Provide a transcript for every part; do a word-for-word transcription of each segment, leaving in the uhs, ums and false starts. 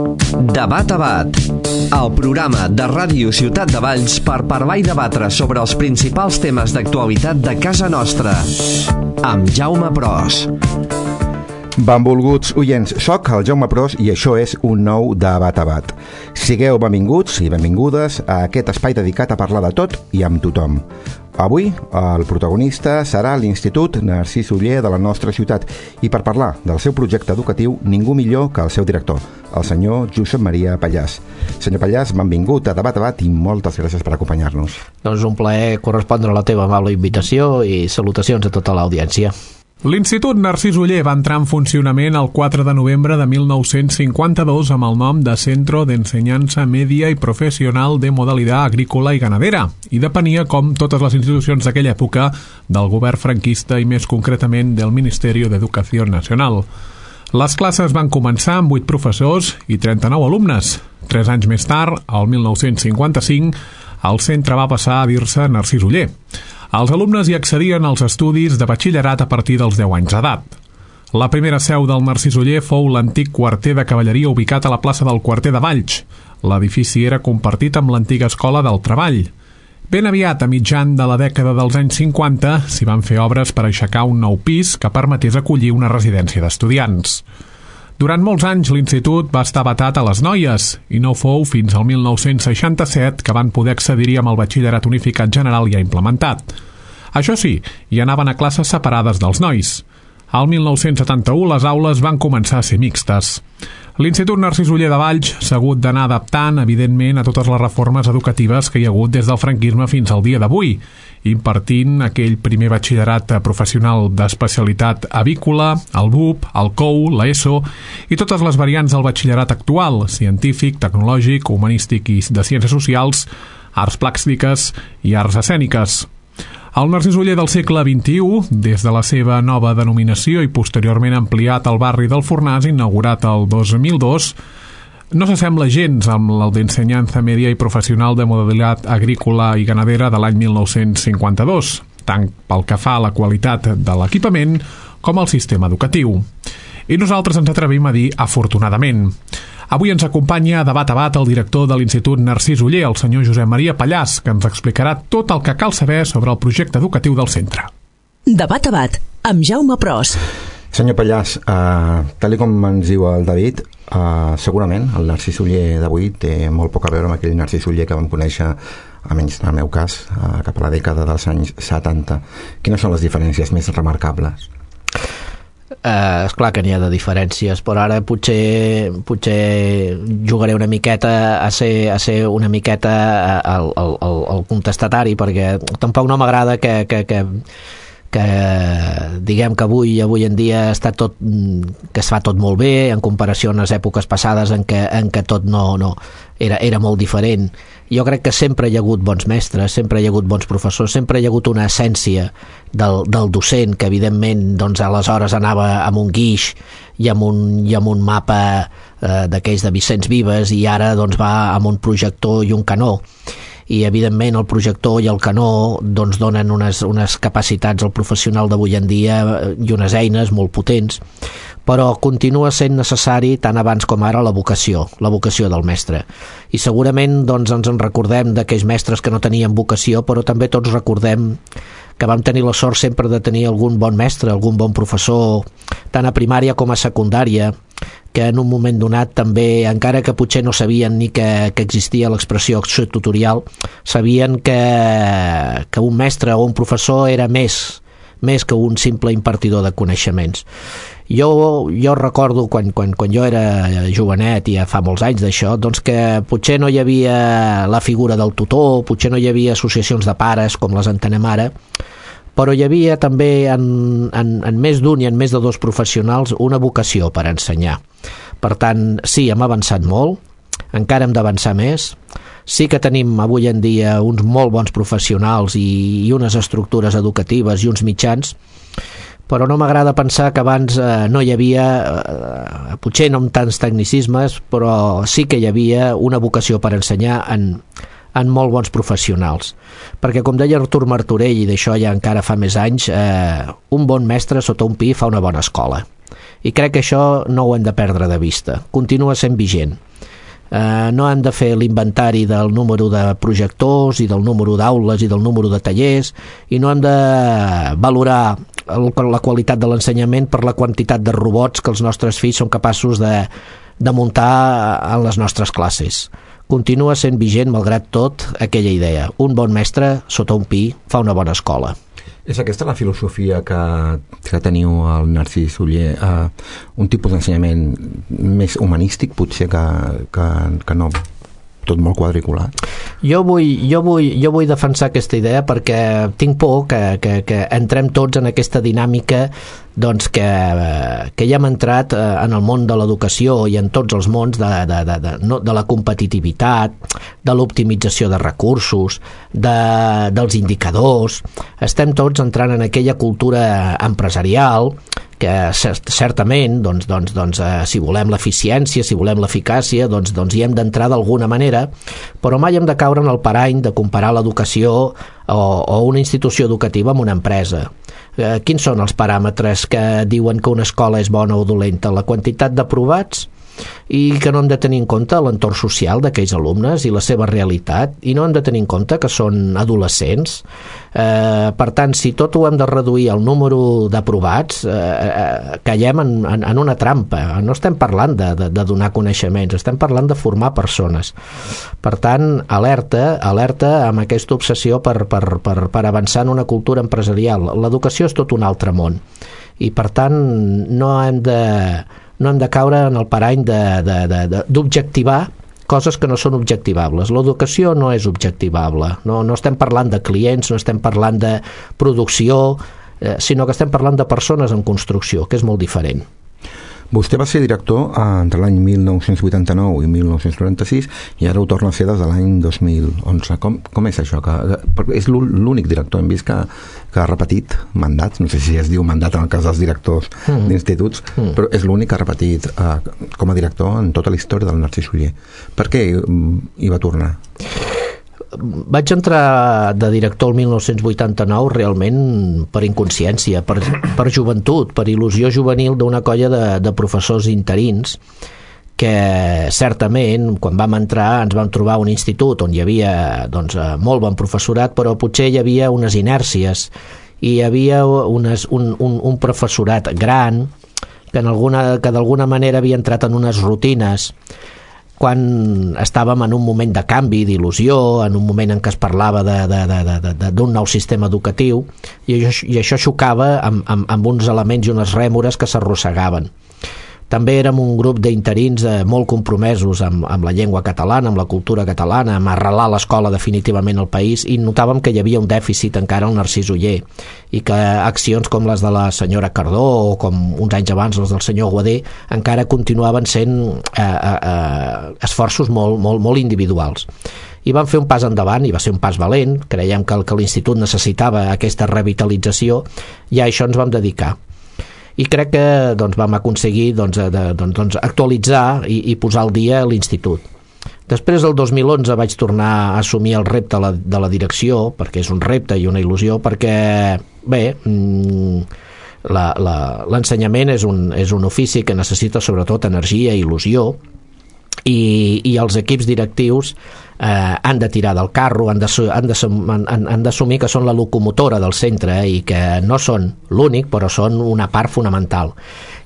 Debat a Bat, el programa de Ràdio Ciutat de Valls per parlar i debatre sobre els principals temes d'actualitat de casa nostra, amb Jaume Pros. Benvolguts oients, soc el Jaume Pros i això és un nou Debat a Bat. Sigueu benvinguts i benvingudes a aquest espai dedicat a parlar de tot i amb tothom. Avui el protagonista serà l'Institut Narcís Oller de la nostra ciutat i per parlar del seu projecte educatiu ningú millor que el seu director, el senyor Josep Maria Pallàs. Senyor Pallàs, benvingut a Debat a Bat i moltes gràcies per acompanyar-nos. Doncs un plaer correspondre a la teva amable invitació i salutacions a tota l'audiència. L'Institut Narcís Oller va entrar en funcionament el quatre de novembre de mil nou-cents cinquanta-dos amb el nom de Centro de Enseñanza Media y Profesional de Modalidad Agrícola y Ganadera i depenia, com totes les institucions d'aquella època, del govern franquista i més concretament del Ministerio de Educación Nacional. Les classes van començar amb vuit professors i trenta-nou alumnes. Tres anys més tard, el mil nou-cents cinquanta-cinc, el centre va passar a dir-se Narcís Oller. Els alumnes hi accedien als estudis de batxillerat a partir dels deu anys d'edat. La primera seu del Narcís Oller fou l'antic quarter de cavalleria ubicat a la plaça del Quarter de Valls. L'edifici era compartit amb l'antiga escola del Treball. Ben aviat, a mitjan de la dècada dels anys cinquanta, s'hi van fer obres per aixecar un nou pis que permetés acollir una residència d'estudiants. Durant molts anys l'institut va estar vetat a les noies i no fou fins al mil nou-cents seixanta-set que van poder accedir-hi amb el batxillerat unificat general ja implementat. Això sí, hi anaven a classes separades dels nois. Al mil nou-cents setanta-u les aules van començar a ser mixtes. L'Institut Narcís Oller de Valls s'ha hagut d'anar adaptant, evidentment, a totes les reformes educatives que hi ha hagut des del franquisme fins al dia d'avui, impartint aquell primer batxillerat professional d'especialitat avícola, el B U P, el C O U, l'ESO i totes les variants del batxillerat actual, científic, tecnològic, humanístic i de ciències socials, arts plàstiques i arts escèniques. El Narcís Oller del segle vint-i-u, des de la seva nova denominació i posteriorment ampliat al barri del Fornàs, inaugurat el dos mil dos, no s'assembla gens amb el d'Ensenyanza Media i Professional de Modalitat Agrícola i Ganadera de l'any mil nou-cents cinquanta-dos, tant pel que fa a la qualitat de l'equipament com al sistema educatiu. I nosaltres ens atrevim a dir afortunadament. Avui ens acompanya a Debat a Bat el director de l'Institut Narcís Oller, el senyor Josep Maria Pallàs, que ens explicarà tot el que cal saber sobre el projecte educatiu del centre. Debat a Bat, amb Jaume Pros. Senyor Pallàs, eh, tal com ens diu el David, eh, segurament el Narcís Oller d'avui té molt poc a veure amb aquell Narcís Oller que vam conèixer, almenys en el meu cas, eh, cap a la dècada dels anys setanta. Quines són les diferències més remarcables? Uh, esclar que n'hi ha de diferències, però ara potser potser jugaré una miqueta a ser, a ser una miqueta el, el, el, el contestatari, perquè tampoc no m'agrada que, que, que, que diguem que avui avui en dia està tot, que es fa tot molt bé en comparació a les èpoques passades en què, en què tot no, no era, era molt diferent. Jo crec que sempre hi ha hagut bons mestres, sempre hi ha hagut bons professors, sempre hi ha hagut una essència del, del docent que evidentment doncs, aleshores anava amb un guix i amb un, i amb un mapa eh, d'aquells de Vicenç Vives i ara doncs, va amb un projector i un canó. I evidentment el projector i el canó doncs, donen unes, unes capacitats al professional d'avui en dia i unes eines molt potents, però continua sent necessari tant abans com ara la vocació, la vocació del mestre. I segurament doncs, ens en recordem d'aquells mestres que no tenien vocació, però també tots recordem que vam tenir la sort sempre de tenir algun bon mestre, algun bon professor, tant a primària com a secundària, que en un moment donat també, encara que potser no sabien ni que, que existia l'expressió acció tutorial, sabien que, que un mestre o un professor era més, més que un simple impartidor de coneixements. Jo, jo recordo quan, quan, quan jo era jovenet, i ja fa molts anys d'això, doncs que potser no hi havia la figura del tutor, potser no hi havia associacions de pares com les entenem ara, però hi havia també en, en, en més d'un i en més de dos professionals una vocació per ensenyar. Per tant, sí, hem avançat molt, encara hem d'avançar més. Sí que tenim avui en dia uns molt bons professionals i, i unes estructures educatives i uns mitjans, però no m'agrada pensar que abans eh, no hi havia, eh, potser no amb tants tecnicismes, però sí que hi havia una vocació per ensenyar en, en molt bons professionals. Perquè, com deia Artur Martorell, i d'això ja encara fa més anys, eh, un bon mestre sota un pi fa una bona escola. i crec que això no ho hem de perdre de vista, continua sent vigent. Uh, no hem de fer l'inventari del número de projectors i del número d'aules i del número de tallers, i no hem de valorar el, la qualitat de l'ensenyament per la quantitat de robots que els nostres fills són capaços de, de muntar en les nostres classes. Continua sent vigent, malgrat tot, aquella idea: un bon mestre sota un pi fa una bona escola. És aquesta la filosofia que, que teniu al Narcís Oller, uh, un tipus d'ensenyament més humanístic potser que, que, que no tot molt quadriculat? Jo vull, jo vull, jo vull defensar aquesta idea perquè tinc por que, que, que entrem tots en aquesta dinàmica doncs que, que ja hem entrat en el món de l'educació i en tots els mons de, de, de, de, no, de la competitivitat, de l'optimització de recursos, de, dels indicadors. Estem tots entrant en aquella cultura empresarial que certament doncs, doncs, doncs, eh, si volem l'eficiència, si volem l'eficàcia, doncs, doncs hi hem d'entrar d'alguna manera, però mai hem de caure en el parany de comparar l'educació o, o una institució educativa amb una empresa. Eh, quins són els paràmetres que diuen que una escola és bona o dolenta? La quantitat d'aprovats, i que no hem de tenir en compte l'entorn social d'aquells alumnes i la seva realitat, i no hem de tenir en compte que són adolescents. Eh, per tant, si tot ho hem de reduir al número d'aprovats, eh, eh, caiem en, en, en una trampa. No estem parlant de, de, de donar coneixements, estem parlant de formar persones. Per tant, alerta, alerta amb aquesta obsessió per, per, per, per avançar en una cultura empresarial. L'educació és tot un altre món, i per tant no hem de no hem de caure en el parany d'objectivar coses que no són objectivables. L'educació no és objectivable, no, no estem parlant de clients, no estem parlant de producció, eh, sinó que estem parlant de persones en construcció, que és molt diferent. Vostè va ser director entre l'any mil nou-cents vuitanta-nou i mil nou-cents noranta-sis i ara ho torna a ser des de l'any dos mil onze. Com, com és això? Que, que és l'únic director, hem vist que, que ha repetit mandats, no sé si es diu mandat en el cas dels directors mm. d'instituts, mm. però és l'únic que ha repetit eh, com a director en tota la història del Narcís Oller. Per què hi va tornar? Vaig entrar de director el mil nou-cents vuitanta-nou realment per inconsciència, per, per joventut, per il·lusió juvenil d'una colla de, de professors interins que certament quan vam entrar ens vam trobar un institut on hi havia doncs, molt bon professorat, però potser hi havia unes inèrcies i hi havia unes, un, un, un professorat gran que, en alguna, que d'alguna manera havia entrat en unes rutines quan estàvem en un moment de canvi, d'il·lusió, en un moment en què es parlava d'un nou sistema educatiu, i això, i això xocava amb, amb, amb uns elements i unes rèmores que s'arrossegaven. També érem un grup d'interins eh, molt compromesos amb, amb la llengua catalana, amb la cultura catalana, amb arrelar l'escola definitivament al país, i notàvem que hi havia un dèficit encara al Narcís Oller, i que accions com les de la senyora Cardó o com uns anys abans les del senyor Guadé encara continuaven sent eh, eh, esforços molt, molt, molt individuals. I vam fer un pas endavant, i va ser un pas valent. Creiem que, que l'institut necessitava aquesta revitalització, i a això ens vam dedicar. I crec que doncs, vam aconseguir doncs, de, doncs, doncs, actualitzar i, i posar al dia l'institut. Després, el dos mil onze, vaig tornar a assumir el repte de la, de la direcció, perquè és un repte i una il·lusió, perquè, bé, l'ensenyament és, un, és un ofici que necessita sobretot energia i il·lusió, i, i els equips directius eh, han de tirar del carro, han d'assumir que són la locomotora del centre i que no són l'únic, però són una part fonamental,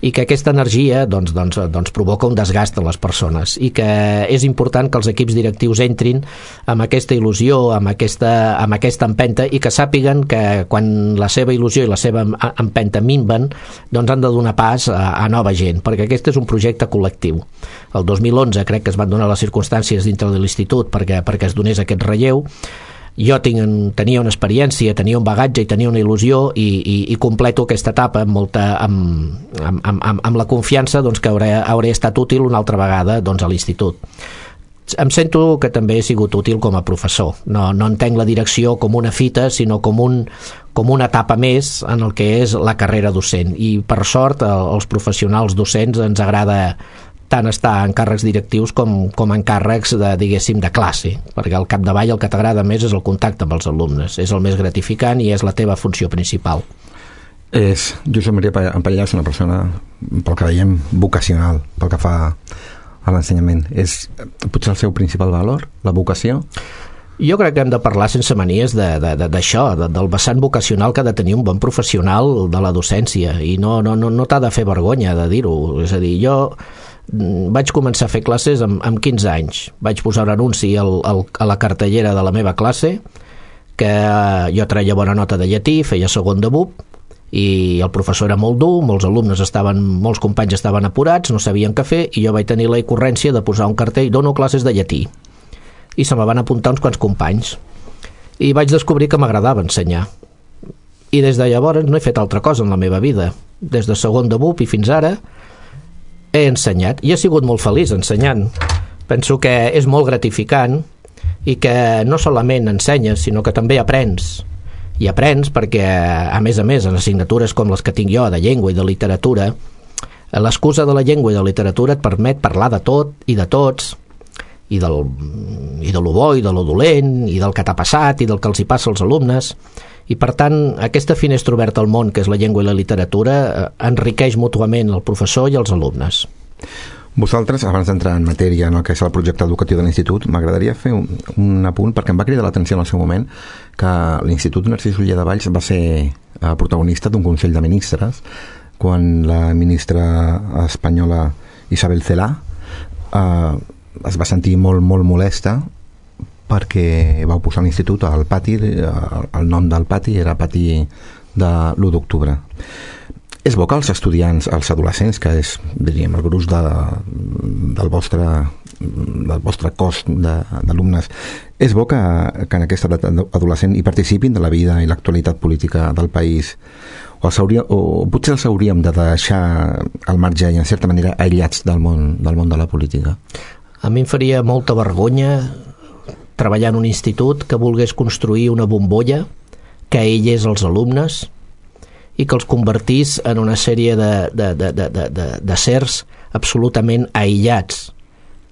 i que aquesta energia doncs, doncs, doncs provoca un desgast en les persones, i que és important que els equips directius entrin amb aquesta il·lusió, amb aquesta, amb aquesta empenta, i que sàpiguen que quan la seva il·lusió i la seva empenta minven, doncs han de donar pas a, a nova gent, perquè aquest és un projecte col·lectiu. El dos mil onze crec que es van donar les circumstàncies dintre de l'institut perquè, perquè es donés aquest relleu. Jo tinc, tenia una experiència, tenia un bagatge i tenia una il·lusió, i, i, i completo aquesta etapa amb, molta, amb, amb, amb, amb la confiança doncs, que hauré, hauré estat útil una altra vegada doncs, a l'institut. Em sento que també he sigut útil com a professor. No, no entenc la direcció com una fita, sinó com, un, com una etapa més en el que és la carrera docent. I per sort, als professionals docents ens agrada tant estar en càrrecs directius com, com en càrrecs de, diguéssim, de classe, perquè al capdavall el que t'agrada més és el contacte amb els alumnes, és el més gratificant i és la teva funció principal. És, Josep Maria Empallà és una persona, pel que veiem, vocacional, pel que fa a l'ensenyament. És potser el seu principal valor, la vocació? Jo crec que hem de parlar sense manies d'això, de, de, del vessant vocacional que ha de tenir un bon professional de la docència, i no, no, no, no t'ha de fer vergonya de dir-ho. És a dir, jo vaig començar a fer classes amb, amb quinze anys. Vaig posar un anunci al, al, a la cartellera de la meva classe que jo treia bona nota de llatí, feia segon de B U P, i el professor era molt dur, molts alumnes estaven, molts companys estaven apurats, no sabien què fer, i jo vaig tenir la ocurrència de posar un cartell: dono classes de llatí. I se me van apuntar uns quants companys. I vaig descobrir que m'agradava ensenyar. I des de llavors no he fet altra cosa en la meva vida. Des de segon de B U P i fins ara he ensenyat. I he sigut molt feliç ensenyant. Penso que és molt gratificant i que no solament ensenyes, sinó que també aprens. I aprens perquè, a més a més, en assignatures com les que tinc jo, de llengua i de literatura, l'excusa de la llengua i de la literatura et permet parlar de tot i de tots, i, del, i de lo bo i de lo dolent, i del que t'ha passat i del que els hi passa als alumnes. I, per tant, aquesta finestra oberta al món, que és la llengua i la literatura, enriqueix mútuament el professor i els alumnes. Vosaltres, abans d'entrar en matèria en el que és el projecte educatiu de l'Institut, m'agradaria fer un, un apunt, perquè em va cridar l'atenció en el seu moment que l'Institut Narcís Oller de Valls va ser eh, protagonista d'un Consell de Ministres quan la ministra espanyola Isabel Celaá eh, es va sentir molt, molt molesta perquè va posar l'Institut al pati, el nom del pati era pati de l'u d'octubre. És bo que els estudiants, els adolescents, que és, diríem, el gruix de, del vostre del vostre cos d'alumnes, és bo que, que en aquesta edat adolescent hi participin de la vida i l'actualitat política del país, o, els hauria, o potser els hauríem de deixar al marge i en certa manera aïllats del món, del món de la política. A mi em faria molta vergonya treballar en un institut que volgués construir una bombolla que aïllés els alumnes i que els convertís en una sèrie de, de, de, de, de, de, de sers absolutament aïllats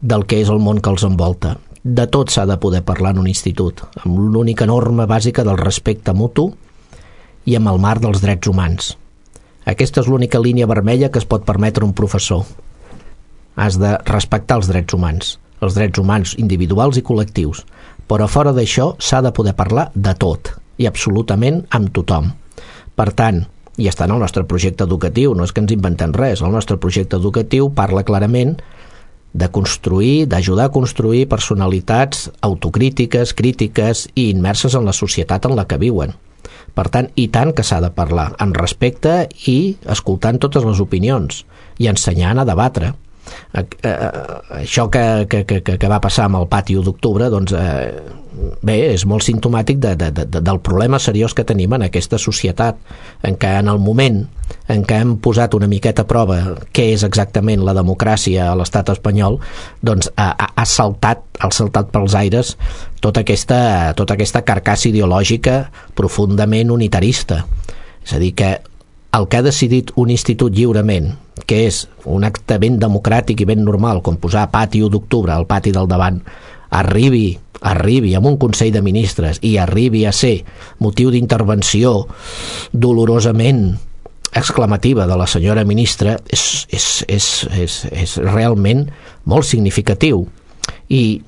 del que és el món que els envolta. De tot s'ha de poder parlar en un institut, amb l'única norma bàsica del respecte mutu i amb el marc dels drets humans. Aquesta és l'única línia vermella que es pot permetre un professor. Has de respectar els drets humans, els drets humans individuals i col·lectius, però fora d'això s'ha de poder parlar de tot i absolutament amb tothom. Per tant, i està en el nostre projecte educatiu, no és que ens inventem res, el nostre projecte educatiu parla clarament de construir, d'ajudar a construir personalitats autocrítiques, crítiques i immerses en la societat en la que viuen. Per tant, i tant que s'ha de parlar, amb respecte i escoltant totes les opinions i ensenyant a debatre. Això que, que, que, que va passar amb el pati u d'octubre, doncs, eh, bé, és molt simptomàtic de, de, de, del problema seriós que tenim en aquesta societat, en què en el moment en què hem posat una miqueta a prova què és exactament la democràcia a l'estat espanyol, doncs ha, ha saltat, ha saltat pels aires tota aquesta, tota aquesta carcassa ideològica profundament unitarista. És a dir, que el que ha decidit un institut lliurement, que és un acte ben democràtic i ben normal, com posar pati u d'octubre al pati del davant, arribi, arribi amb un Consell de Ministres i arribi a ser motiu d'intervenció dolorosament exclamativa de la senyora ministra, és, és, és, és, és realment molt significatiu. I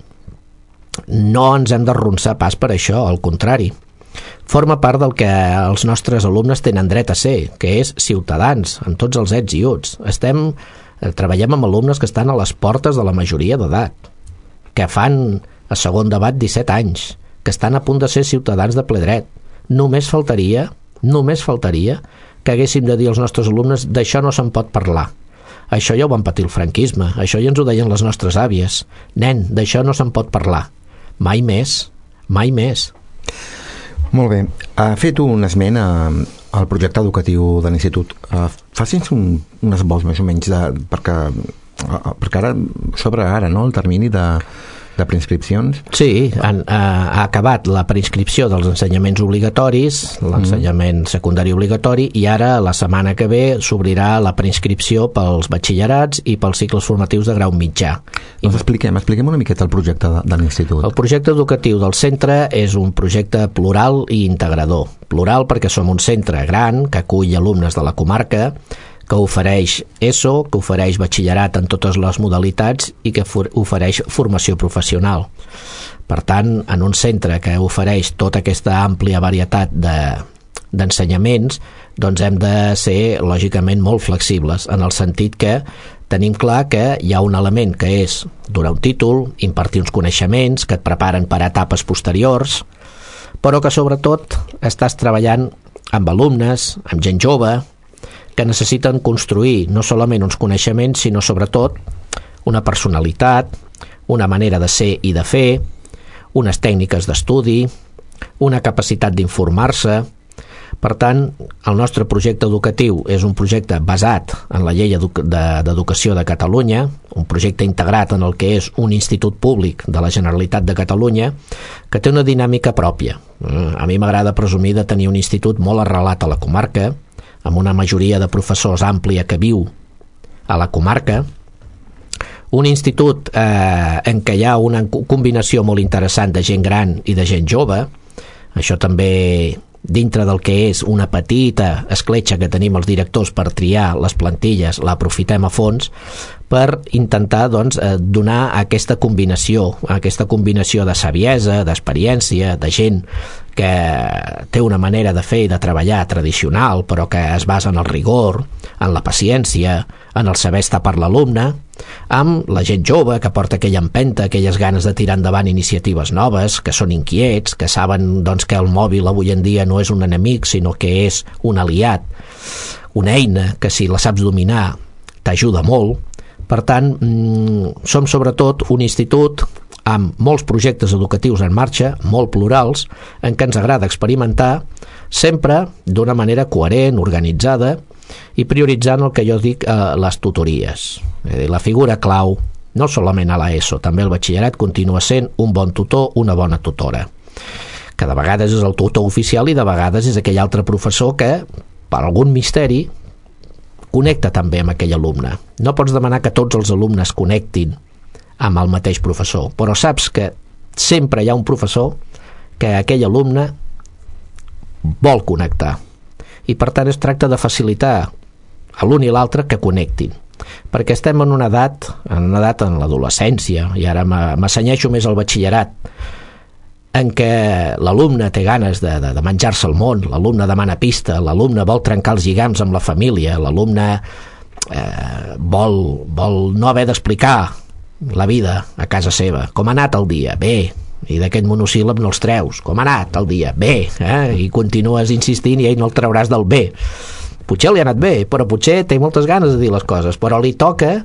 no ens hem d'arronsar pas per això, al contrari. Forma part del que els nostres alumnes tenen dret a ser, que és ciutadans, en tots els ets i uts. Estem, treballem amb alumnes que estan a les portes de la majoria d'edat, que fan a segon debat disset anys, que estan a punt de ser ciutadans de ple dret. Només faltaria, només faltaria que haguéssim de dir als nostres alumnes d'això no se'n pot parlar. Això ja ho van patir el franquisme, això ja ens ho deien les nostres àvies. Nen, d'això no se'n pot parlar. Mai més, mai més. Molt bé. Ha fet un esment al projecte educatiu de l'Institut. Faci'ns un, un esbós més o menys de, perquè, perquè ara s'obre ara, no?, el termini de de preinscripcions? Sí, han, ha, ha acabat la preinscripció dels ensenyaments obligatoris, l'ensenyament mm. secundari obligatori, i ara la setmana que ve s'obrirà la preinscripció pels batxillerats i pels cicles formatius de grau mitjà. Doncs expliquem, expliquem una miqueta el projecte de, de l'institut. El projecte educatiu del centre és un projecte plural i integrador. Plural perquè som un centre gran que acull alumnes de la comarca, que ofereix ESO, que ofereix batxillerat en totes les modalitats i que ofereix formació professional. Per tant, en un centre que ofereix tota aquesta àmplia varietat de, d'ensenyaments, doncs hem de ser, lògicament, molt flexibles, en el sentit que tenim clar que hi ha un element que és donar un títol, impartir uns coneixements que et preparen per a etapes posteriors, però que sobretot estàs treballant amb alumnes, amb gent jove, que necessiten construir no solament uns coneixements, sinó sobretot una personalitat, una manera de ser i de fer, unes tècniques d'estudi, una capacitat d'informar-se. Per tant, el nostre projecte educatiu és un projecte basat en la Llei d'Educació de Catalunya, un projecte integrat en el que és un institut públic de la Generalitat de Catalunya, que té una dinàmica pròpia. A mi m'agrada presumir de tenir un institut molt arrelat a la comarca, amb una majoria de professors àmplia que viu a la comarca, un institut eh, en què hi ha una combinació molt interessant de gent gran i de gent jove. Això també dintre del que és una petita escletxa que tenim els directors per triar les plantilles, l'aprofitem a fons per intentar doncs, donar aquesta combinació, aquesta combinació de saviesa, d'experiència, de gent que té una manera de fer i de treballar tradicional, però que es basa en el rigor, en la paciència, en el saber estar per l'alumne, amb la gent jove que porta aquella empenta, aquelles ganes de tirar endavant iniciatives noves, que són inquiets, que saben doncs, que el mòbil avui en dia no és un enemic, sinó que és un aliat, una eina que si la saps dominar t'ajuda molt. Per tant, som sobretot un institut amb molts projectes educatius en marxa, molt plurals, en què ens agrada experimentar, sempre d'una manera coherent, organitzada, i prioritzant el que jo dic eh, les tutories. És a dir, la figura clau, no solament a l'ESO, també el batxillerat continua sent un bon tutor, una bona tutora, que de vegades és el tutor oficial i de vegades és aquell altre professor que, per algun misteri, connecta també amb aquell alumne. No pots demanar que tots els alumnes connectin amb el mateix professor, però saps que sempre hi ha un professor que aquell alumne vol connectar. I per tant es tracta de facilitar a l'un i l'altre que connectin, perquè estem en una edat, en una edat en l'adolescència, i ara m'assenyeixo més al batxillerat, en què l'alumne té ganes de, de, de menjar-se el món, l'alumne demana pista, l'alumne vol trencar els lligams amb la família, l'alumne eh, vol, vol no haver d'explicar la vida a casa seva. Com ha anat el dia? Bé. I d'aquest monosíl·lab no els treus. Com ha anat el dia? Bé. Eh? I continues insistint i ell no el trauràs del bé. Potser li ha anat bé, però potser té moltes ganes de dir les coses, però li toca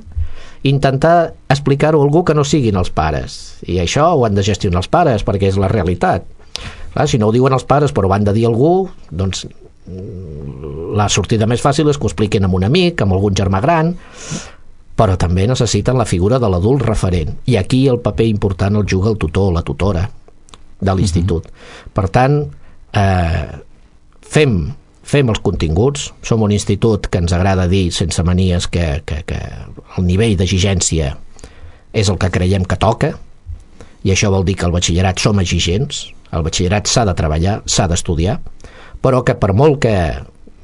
intentar explicar-ho a algú que no siguin els pares, i això ho han de gestionar els pares perquè és la realitat. Clar, si no ho diuen els pares però ho han de dir a algú, doncs la sortida més fàcil és que ho expliquin amb un amic, amb algun germà gran, però també necessiten la figura de l'adult referent, i aquí el paper important el juga el tutor o la tutora de l'institut. Uh-huh. Per tant, eh, fem fem els continguts, som un institut que ens agrada dir sense manies que, que, que el nivell d'exigència és el que creiem que toca, i això vol dir que al batxillerat som exigents, el batxillerat s'ha de treballar, s'ha d'estudiar, però que per molt que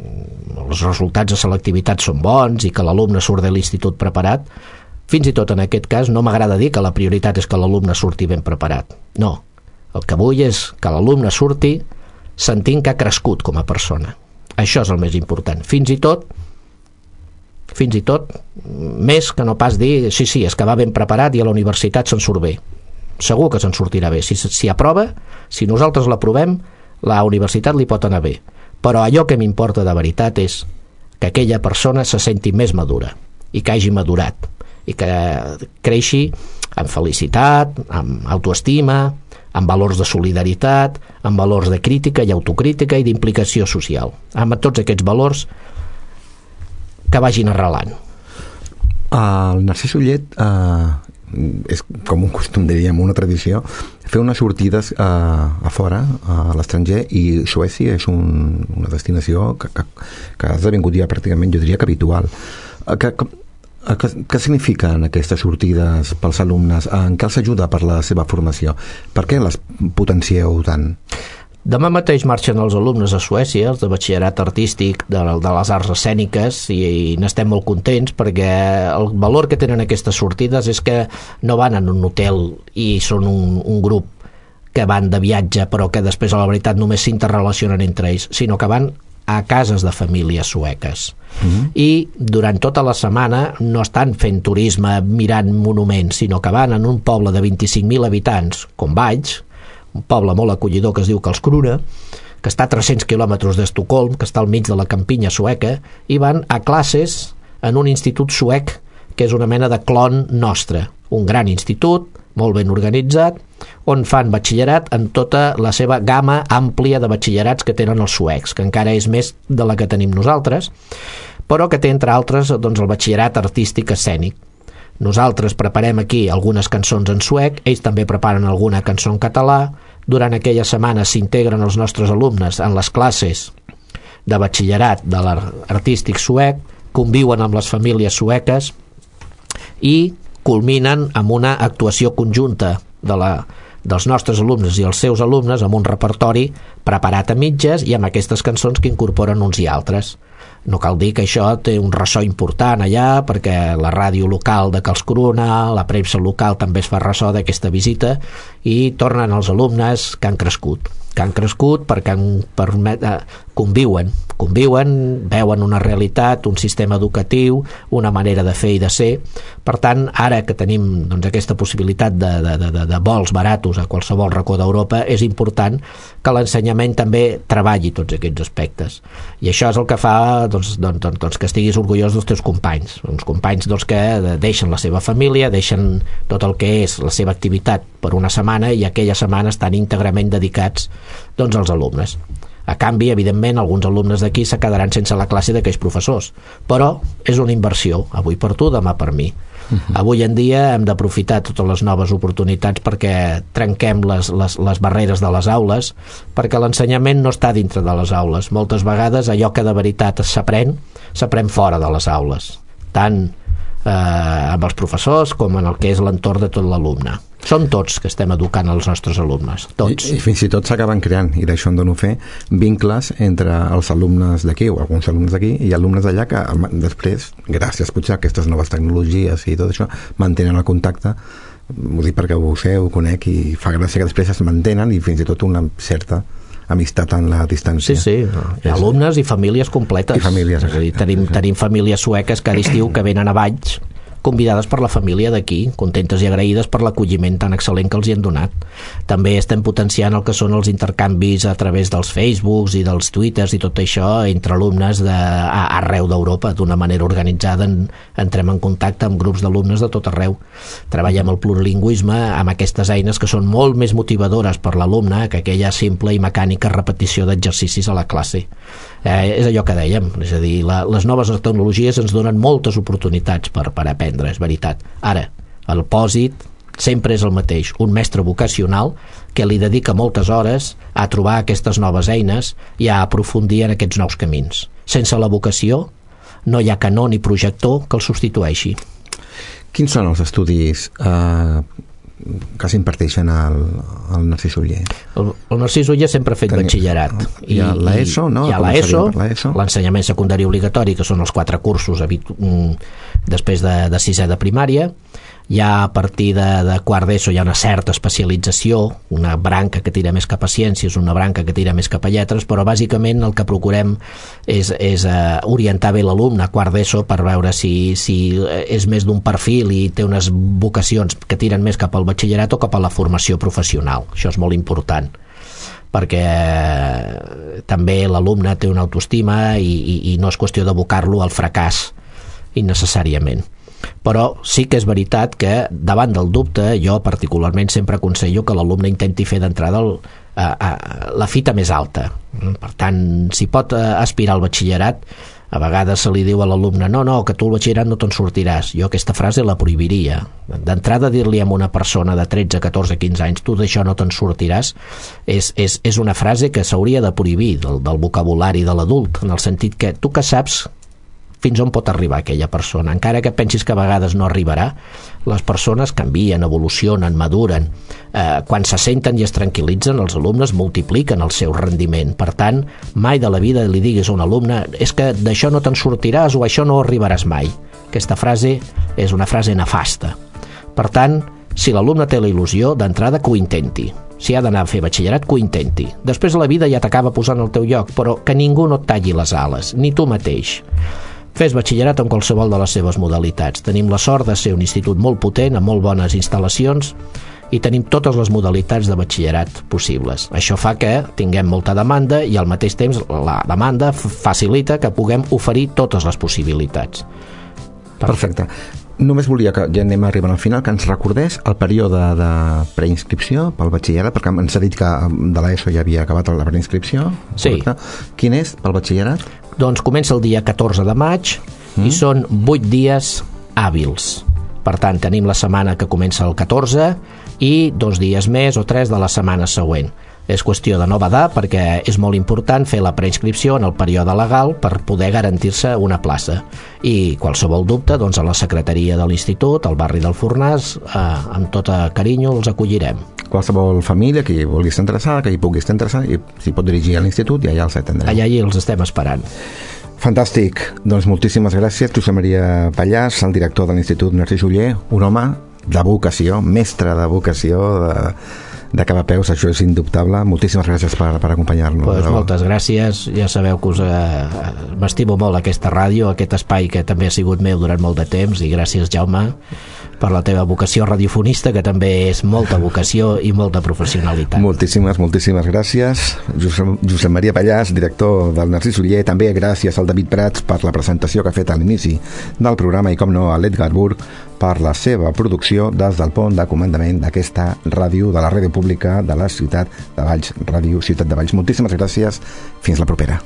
els resultats de selectivitat són bons i que l'alumne surt de l'institut preparat, fins i tot en aquest cas no m'agrada dir que la prioritat és que l'alumne surti ben preparat. No, el que vull és que l'alumne surti sentint que ha crescut com a persona. Això és el més important. Fins i tot, fins i tot, més que no pas dir, sí, sí, és que va ben preparat i a la universitat se'n surt bé. Segur que se'n sortirà bé. Si, si aprova, si nosaltres l'aprovem, la universitat li pot anar bé. Però allò que m'importa de veritat és que aquella persona se senti més madura i que hagi madurat i que creixi amb felicitat, amb autoestima, amb valors de solidaritat, amb valors de crítica i autocrítica i d'implicació social, amb tots aquests valors que vagin arrelant. El Narcís Ullet eh, és com un costum, diríem, una tradició, fer unes sortides a, a fora, a l'estranger, i Suècia és un, una destinació que, que, que ha esdevingut ja pràcticament, jo diria que habitual. Que, que, que, què signifiquen aquestes sortides pels alumnes? En què els ajuda per la seva formació? Per què les potencieu tant? Demà mateix marxen els alumnes a Suècia, els de batxillerat artístic de, de les arts escèniques, i, i n'estem molt contents perquè el valor que tenen aquestes sortides és que no van en un hotel i són un, un grup que van de viatge però que després a la veritat només s'interrelacionen entre ells, sinó que van a cases de famílies sueques. Mm-hmm. I durant tota la setmana no estan fent turisme mirant monuments, sinó que van en un poble de vint-i-cinc mil habitants, com Valls, un poble molt acollidor que es diu Karlskrona, que està a tres-cents quilòmetres d'Estocolm, que està al mig de la campinya sueca, i van a classes en un institut suec que és una mena de clon nostre, un gran institut, molt ben organitzat, on fan batxillerat en tota la seva gamma àmplia de batxillerats que tenen els suecs, que encara és més de la que tenim nosaltres, però que té, entre altres, doncs, el batxillerat artístic escènic. Nosaltres preparem aquí algunes cançons en suec, ells també preparen alguna cançó en català. Durant aquella setmana s'integren els nostres alumnes en les classes de batxillerat de l'artístic suec, conviuen amb les famílies sueques i culminen amb una actuació conjunta de la, dels nostres alumnes i els seus alumnes amb un repertori preparat a mitges i amb aquestes cançons que incorporen uns i altres. No cal dir que això té un ressò important allà, perquè la ràdio local de Karlskrona, la premsa local també es fa ressò d'aquesta visita, i tornen els alumnes que han crescut que han crescut perquè han permet, eh, conviuen, conviuen, veuen una realitat, un sistema educatiu, una manera de fer i de ser. Per tant, ara que tenim doncs, aquesta possibilitat de, de, de, de vols baratos a qualsevol racó d'Europa, és important que l'ensenyament també treballi tots aquests aspectes. I això és el que fa doncs, doncs, doncs, doncs, que estiguis orgullós dels teus companys, uns companys doncs, que deixen la seva família, deixen tot el que és la seva activitat per una setmana i aquella setmana estan íntegrament dedicats doncs, als alumnes. A canvi, evidentment, alguns alumnes d'aquí se quedaran sense la classe d'aquells professors, però és una inversió, avui per tu, demà per mi. Uh-huh. Avui en dia hem d'aprofitar totes les noves oportunitats perquè trenquem les, les, les barreres de les aules, perquè l'ensenyament no està dintre de les aules. Moltes vegades allò que de veritat s'aprèn, s'aprèn fora de les aules, tant eh, amb els professors com en el que és l'entorn de tot l'alumne. Som tots que estem educant els nostres alumnes, tots. I, i fins i tot s'acaben creant, i d'això en dono fe, vincles entre els alumnes d'aquí, o alguns alumnes d'aquí, i alumnes d'allà que després, gràcies potser a aquestes noves tecnologies i tot això, mantenen el contacte. Ho dic perquè ho sé, ho conec, i fa gràcia que després es mantenen, i fins i tot una certa amistat en la distància. Sí, sí, hi ha alumnes i famílies completes. I famílies. És a dir, tenim, tenim famílies sueques cada estiu que venen a Valls, convidades per la família d'aquí, contentes i agraïdes per l'acolliment tan excel·lent que els hi han donat. També estem potenciant el que són els intercanvis a través dels Facebooks i dels Twitters i tot això entre alumnes de, a, arreu d'Europa, d'una manera organitzada. En, entrem en contacte amb grups d'alumnes de tot arreu. Treballem el plurilingüisme amb aquestes eines que són molt més motivadores per l'alumne que aquella simple i mecànica repetició d'exercicis a la classe. Eh, és allò que dèiem, és a dir, la, les noves tecnologies ens donen moltes oportunitats per, per aprendre, és veritat. Ara, el pòsit sempre és el mateix, un mestre vocacional que li dedica moltes hores a trobar aquestes noves eines i a aprofundir en aquests nous camins. Sense la vocació no hi ha canó ni projector que el substitueixi. Quins són els estudis eh, que s'imparteixen al, al Narcís Oller? El, el Narcís Oller sempre ha fet Tenia, batxillerat. Hi ha l'ESO, no? Hi ha l'ESO, l'ensenyament secundari obligatori, que són els quatre cursos després de, de sisè de primària. Ja a partir de, de quart d'ESO hi ha una certa especialització, una branca que tira més cap a ciències, una branca que tira més cap a lletres, però bàsicament el que procurem és, és uh, orientar bé l'alumne a quart d'ESO per veure si, si és més d'un perfil i té unes vocacions que tiren més cap al batxillerat o cap a la formació professional. Això és molt important, perquè també l'alumne té una autoestima i, i, i no és qüestió d'abocar-lo al fracàs innecessàriament. Però sí que és veritat que davant del dubte jo particularment sempre aconsello que l'alumne intenti fer d'entrada el, a, a, la fita més alta. Per tant, si pot aspirar al batxillerat, A vegades se li diu a l'alumne no, no, que tu al batxillerat no te'n sortiràs. Jo aquesta frase la prohibiria. D'entrada dir-li a una persona de tretze, catorze, quinze anys tu d'això no te'n sortiràs és, és, és una frase que s'hauria de prohibir del, del vocabulari de l'adult, en el sentit que tu que saps fins on pot arribar aquella persona, encara que pensis que a vegades no arribarà. Les persones canvien, evolucionen, maduren. Eh, quan se senten i es tranquil·litzen, els alumnes multipliquen el seu rendiment. Per tant, mai de la vida li diguis a un alumne és que d'això no te'n sortiràs o això no arribaràs mai. Aquesta frase és una frase nefasta. Per tant, si l'alumne té la il·lusió, d'entrada que ho intenti. Si ha d'anar a fer batxillerat, que ho intenti. Després la vida ja t'acaba posant al teu lloc, però que ningú no et talli les ales, ni tu mateix. Fes batxillerat en qualsevol de les seves modalitats. Tenim la sort de ser un institut molt potent, amb molt bones instal·lacions, i tenim totes les modalitats de batxillerat possibles. Això fa que tinguem molta demanda i al mateix temps la demanda facilita que puguem oferir totes les possibilitats. Perfecte. Només volia que, ja anem arribant al final, que ens recordés el període de preinscripció pel batxillerat, perquè ens ha dit que de l'ESO ja havia acabat la preinscripció. Sí. Correcte. Quin és pel batxillerat? Doncs comença el dia catorze de maig mm. i són vuit dies hàbils. Per tant, tenim la setmana que comença el catorze i dos dies més o tres de la setmana següent. És qüestió de no badar perquè és molt important fer la preinscripció en el període legal per poder garantir-se una plaça. I qualsevol dubte, doncs a la secretaria de l'institut, al barri del Fornàs, eh, amb tot carinyo els acollirem. Qualsevol família que hi vulgui estar interessada, que hi pugui estar interessada, i s'hi pot dirigir a l'institut i allà els atendrem. Allà hi els estem esperant. Fantàstic. Doncs moltíssimes gràcies, Josep Maria Pallàs, el director de l'Institut Narcís Oller, un home de vocació, mestre de vocació, de, de cap a peus, això és indubtable. Moltíssimes gràcies per, per acompanyar-nos. Pues moltes gràcies, ja sabeu que us eh, m'estimo molt aquesta ràdio, aquest espai que també ha sigut meu durant molt de temps, i gràcies, Jaume, per la teva vocació radiofonista, que també és molta vocació i molta professionalitat. Moltíssimes, moltíssimes gràcies. Josep, Josep Maria Pallàs, director del Narcís Oller, també gràcies al David Prats per la presentació que ha fet a l'inici del programa i, com no, a l'Edgar Burg per la seva producció des del pont de comandament d'aquesta ràdio, de la ràdio pública de la ciutat de Valls, Ràdio Ciutat de Valls. Moltíssimes gràcies. Fins la propera.